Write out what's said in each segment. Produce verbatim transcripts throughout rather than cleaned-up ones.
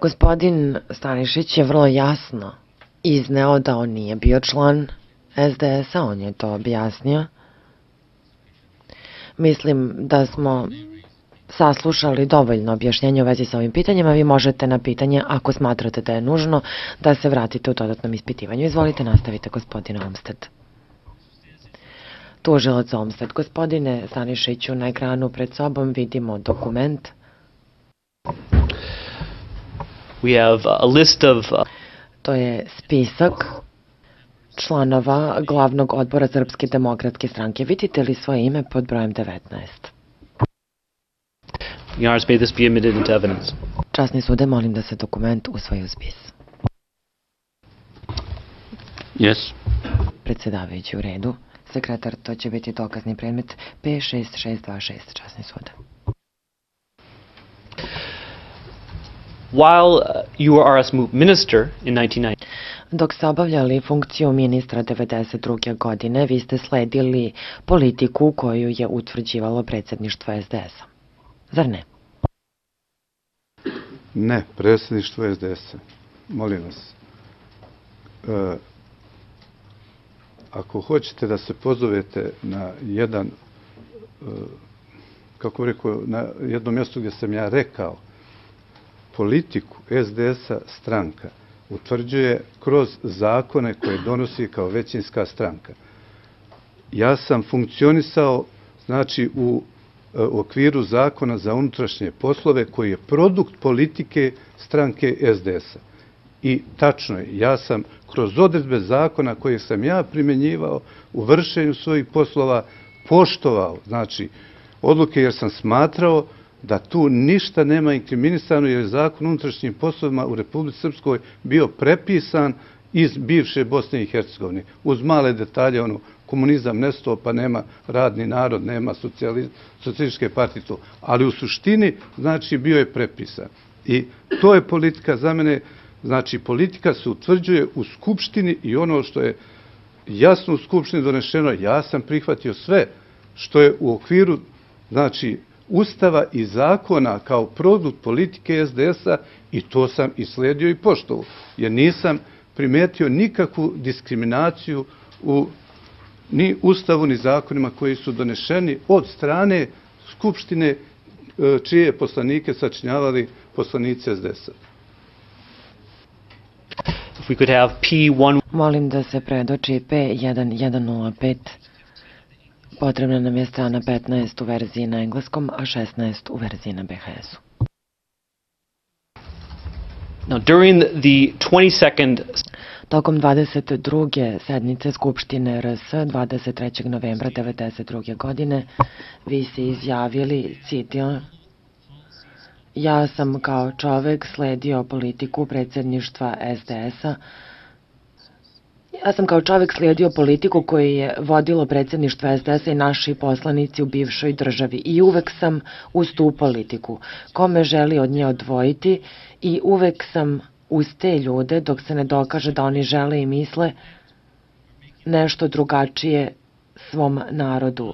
Gospodin Stanišić je vrlo jasno izneo da on nije bio član S D S-a, on je to objasnio. Mislim da smo saslušali dovoljno objašnjenja u vezi sa ovim pitanjima. Vi možete na pitanje, ako smatrate da je nužno, da se vratite u dodatnom ispitivanju. Izvolite, nastavite, gospodine Olmsted. Tužilac Olmsted. Gospodine Stanišiću, na ekranu pred sobom vidimo dokument. We have a list of... Uh... To je spisak članova glavnog odbora Srpske demokratske stranke. Vidite li svoje ime pod brojem devetnaest? Your Honor, may this be admitted into evidence. Časni sude, molim da se dokument usvoji u spis. Yes. Predsjedavajući, u redu. Sekretar, to će biti dokazni predmet P šest šest dva šest, časni sude. While you were R S M U minister in nineteen ninety, dok ste obavljali funkciju ministra devedeset druge godine, vi ste sledili politiku koju je utvrđivalo predsjedništvo S D S-a. Zar ne? Ne, predsjedništvo S D S-a. Molim vas. E, ako hoćete da se pozovete na jedan, e, kako rekao, na jedno mjesto gdje sam ja rekao, politiku S D S-a stranka utvrđuje kroz zakone koje donosi kao većinska stranka. Ja sam funkcionisao, znači, u u okviru zakona za unutrašnje poslove koji je produkt politike stranke S D S-a. I tačno je, ja sam kroz odredbe zakona koje sam ja primjenjivao u vršenju svojih poslova poštovao, znači, odluke, jer sam smatrao da tu ništa nema inkriminisano, jer je zakon o unutrašnjim poslovima u Republici Srpskoj bio prepisan iz bivše Bosne i Hercegovine. Uz male detalje, ono, komunizam nestao, pa nema radni narod, nema socijalističke partije, to. Ali u suštini, znači, bio je prepisan. I to je politika za mene, znači, politika se utvrđuje u Skupštini i ono što je jasno u Skupštini donešeno, ja sam prihvatio sve što je u okviru, znači, Ustava i zakona kao produkt politike S D S-a i to sam i sledio i poštovao, jer nisam primetio nikakvu diskriminaciju u ni Ustavu, ni zakonima koji su donešeni od strane Skupštine čije poslanike sačinjavali poslanici S D S-a. Molim da se predoči P jedan jedan nula pet. Potrebna nam je strana petnaest u verziji na engleskom, a šesnaest u verziji na B H S-u. Now, during the twenty-second... Tokom dvadeset druge sednice Skupštine R S dvadeset trećeg novembra devedeset druge godine vi se izjavili, citiram, ja sam kao čovek sledio politiku predsjedništva S D S-a, Ja sam kao čovek slijedio politiku koju je vodilo predsjedništvo S D S-a i naši poslanici u bivšoj državi i uvek sam uz tu politiku. Kome želi od nje odvojiti i uvek sam uz te ljude dok se ne dokaže da oni žele i misle nešto drugačije svom narodu.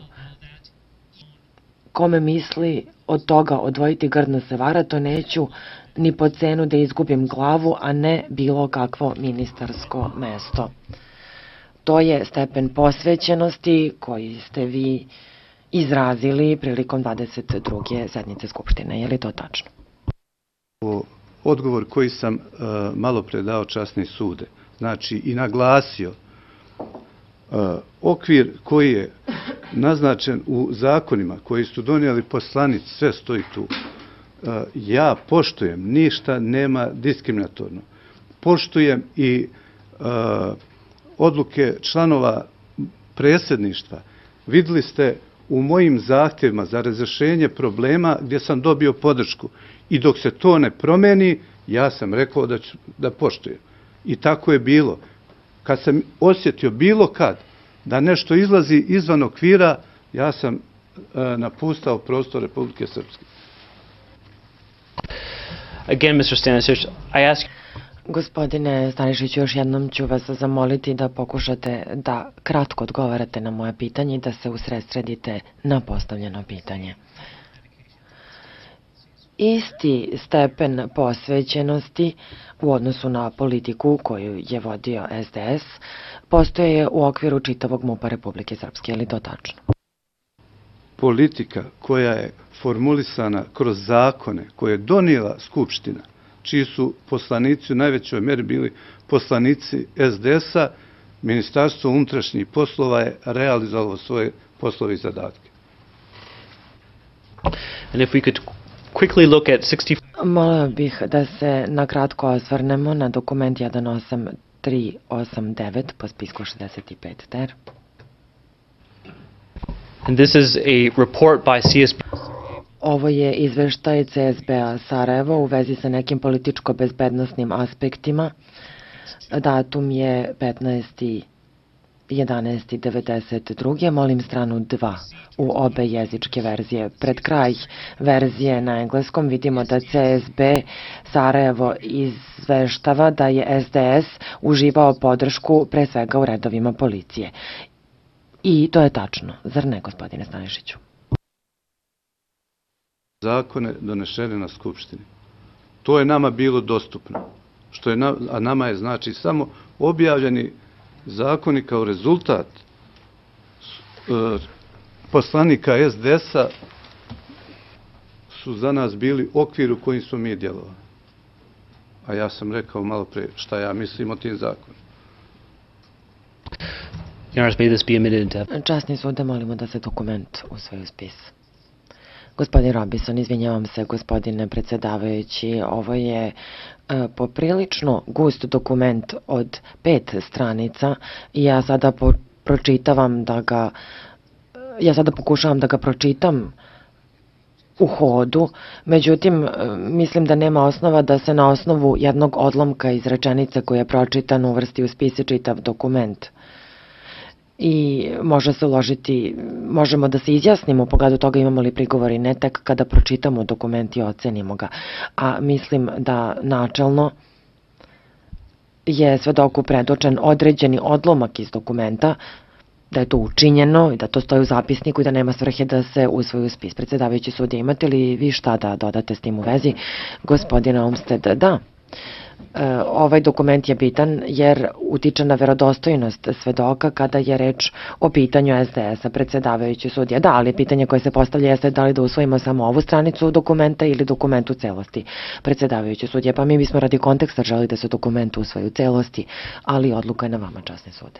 Kome misli od toga odvojiti grdno se vara, to neću ni po cenu da izgubim glavu, a ne bilo kakvo ministarsko mesto. To je stepen posvećenosti koji ste vi izrazili prilikom dvadeset druge sednice Skupštine. Je li to tačno? Odgovor koji sam uh, malo predao časni sude, znači i naglasio uh, okvir koji je naznačen u zakonima koji su donijeli poslanici, sve stoji tu. Uh, ja poštujem, ništa nema diskriminatorno. Poštujem i uh, odluke članova predsjedništva. Vidjeli ste u mojim zahtjevima za razrješenje problema gdje sam dobio podršku. I dok se to ne promeni, ja sam rekao da ću da poštujem. I tako je bilo. Kad sam osjetio bilo kad da nešto izlazi izvan okvira, ja sam uh, napustao prostor Republike Srpske. Again, mister Stanisic, I ask... Gospodine Stanišiću, još jednom ću vas zamoliti da pokušate da kratko odgovarate na moje pitanje i da se usredsredite na postavljeno pitanje. isti stepen posvećenosti u odnosu na politiku koju je vodio S D S postoje u okviru čitavog MUP-a Republike Srpske, je li to tačno? Politika koja je formulisana kroz zakone koje je donijela Skupština, čiji su poslanici u najvećoj meri bili poslanici S D S-a, Ministarstvo unutrašnjih poslova je realizovalo svoje poslove i zadatke. And if we could quickly look at sixty-four... Molio bih da se na kratko osvrnemo na dokument jedan osam tri osam devet po spisku šezdeset pet ter. And this is a report by C S B. Ovo je izveštaj C S B-a Sarajevo u vezi sa nekim političko-bezbednostnim aspektima. Datum je petnaesti jedanaesti devedeset druge Molim stranu dva u obe jezičke verzije. Pred kraj verzije na engleskom vidimo da C S B Sarajevo izveštava da je S D S uživao podršku pre svega u redovima policije. I to je tačno, zar ne, gospodine Stanišiću? Zakone donešene na Skupštini. To je nama bilo dostupno. Što je na, a nama je znači samo objavljeni zakoni kao rezultat e, poslanika S D S-a su za nas bili okvir u kojim smo mi djelovali. A ja sam rekao malo pre šta ja mislim o tim zakonima. Časni sude, molimo da se dokument usvoji u spis. Gospodin Robinson, izvinjavam se, gospodine predsjedavajući, ovo je e, poprilično gust dokument od pet stranica i ja sada po, pročitavam da ga, ja sada pokušavam da ga pročitam u hodu, međutim, mislim da nema osnova da se na osnovu jednog odlomka iz rečenice koja je pročitan uvrsti u spis i čitav dokument. I može se uložiti, možemo da se izjasnimo u pogledu toga imamo li prigovori, ne tek kada pročitamo dokument i ocenimo ga. A mislim da načelno je svedoku predočen određeni odlomak iz dokumenta, da je to učinjeno i da to stoji u zapisniku i da nema svrhe da se usvoji u spis. Predsjedavajući sudija, imate li vi šta da dodate s tim u vezi? Gospodine Olmsted, da. Ovaj dokument je bitan jer utiče na verodostojnost svedoka kada je reč o pitanju S D S-a. Predsjedavajući sudija, da, ali pitanje koje se postavlja jeste da li da usvojimo samo ovu stranicu dokumenta ili dokument u celosti. Predsjedavajući sudija, pa mi bismo radi konteksta želi da se dokument usvoji u celosti, ali odluka je na vama, časni sude.